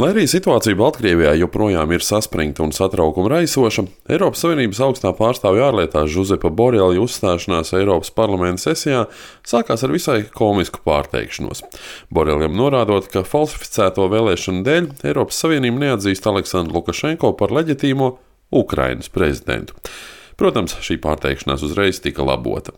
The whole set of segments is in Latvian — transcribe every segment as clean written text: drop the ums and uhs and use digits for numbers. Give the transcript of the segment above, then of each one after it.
Lai arī situācija Baltkrievijā joprojām ir saspringta un satraukuma raisoša, Eiropas Savienības augstā pārstāvja ārlietās Žuzepa Borelja uzstāšanās Eiropas parlamenta sesijā sākās ar visai komisku pārteikšanos. Boreljam norādot, ka falsificēto vēlēšanu dēļ Eiropas Savienība neatzīst Aleksandru Lukašenko par leģitīmo Ukrainas prezidentu. Protams, šī pārteikšanās uzreiz tika labota.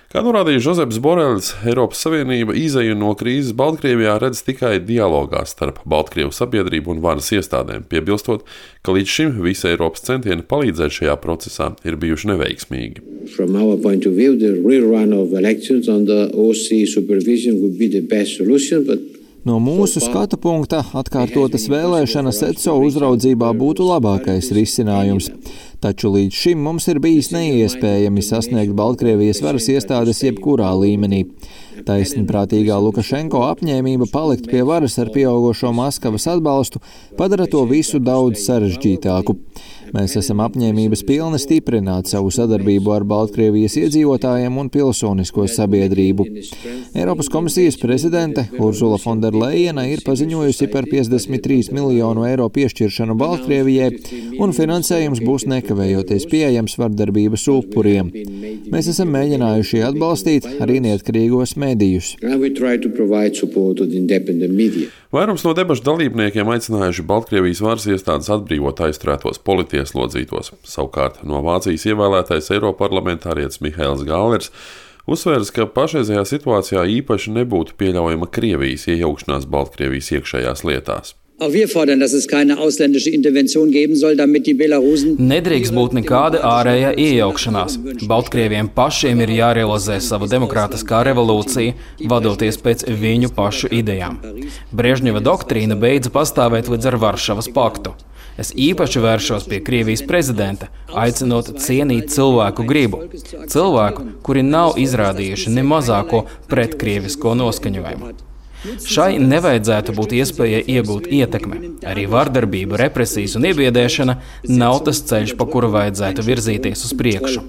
Kā norādīja Žuzeps Boreljs, Eiropas Savienība izeju no krīzes Baltkrievijā redz tikai dialogā starp Baltkrievu sabiedrību un varas iestādēm, piebilstot, ka līdz šim visi Eiropas centieni palīdzēt šajā procesā ir bijuši neveiksmīgi. From our point of view, the rerun of elections under OSCE supervision would be the best solution, but no mūsu skatu punkta atkārtotas vēlēšanas ECO uzraudzībā būtu labākais risinājums. Taču līdz šim mums ir bijis neiespējami sasniegt Baltkrievijas varas iestādes jebkurā līmenī. Taisnprātīgā Lukašenko apņēmība palikt pie varas ar pieaugošo Maskavas atbalstu padara to visu daudz sarežģītāku. Mēs esam apņēmības pilni stiprināt savu sadarbību ar Baltkrievijas iedzīvotājiem un pilsonisko sabiedrību. Eiropas komisijas prezidente Ursula von der Leyena ir paziņojusi par 53 miljonu eiro piešķiršanu Baltkrievijai, un finansējums būs nekavējoties pieejams vardarbības upuriem. Mēs esam mēģinājuši atbalstīt arī neatkarīgos medijus. Vairums no debašu dalībniekiem aicinājuši Baltkrievijas varas iestādes atbrīvot aizturētos politieslodzītos. Savukārt no Vācijas ievēlētais Eiroparlamentārietis Mihails Gālers uzsvērs, ka pašreizajā situācijā īpaši nebūtu pieļaujama Krievijas iejaukšanās Baltkrievijas iekšējās lietās. Auch wir fordern, dass es keine ausländische Intervention geben soll, damit die Belarusen... Nedrīkst būt nekāda ārējā iejaukšanās. Baltkrieviem pašiem ir jārealizē sava demokrātiskā revolūcija, vadoties pēc viņu pašu idejām. Brežņeva doktrīna beidza pastāvēt līdz ar Varšavas paktu. Es īpaši vēršos pie Krievijas prezidenta, aicinot cienīt cilvēku gribu. Cilvēku, kuri nav izrādījuši ne mazāko pretkrievisko noskaņojumu. Šai nevajadzētu būt iespējai iegūt ietekmi. Arī vardarbība, represijas un iebiedēšana nav tas ceļš, pa kuru vajadzētu virzīties uz priekšu.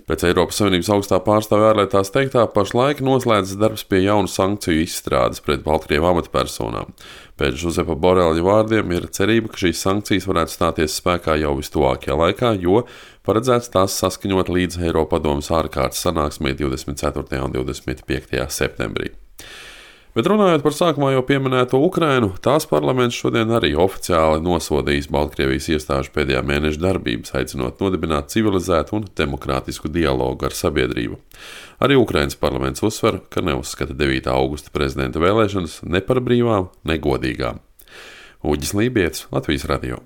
Pēc Eiropas Savienības augstā pārstāvja ārlietās teiktā, pašlaik noslēdzas darbs pie jaunu sankciju izstrādes pret Baltkrievu amatpersonām. Pēc Žuzepa Borelja vārdiem ir cerība, ka šīs sankcijas varētu stāties spēkā jau vistuvākajā laikā, jo paredzēts tās saskaņot līdz Eiropadomes ārkārtas sanāksmei 24. un 25. septembrī. Bet runājot par sākumā jau pieminēto Ukrainu, tās parlaments šodien arī oficiāli nosodījis Baltkrievijas iestāžu pēdējā mēneša darbības, aicinot nodibināt civilizētu un demokrātisku dialogu ar sabiedrību. Arī Ukrainas parlaments uzsver, ka neuzskata 9. augusta prezidenta vēlēšanas ne par brīvām, ne godīgām. Uģis Lībietis, Latvijas radio.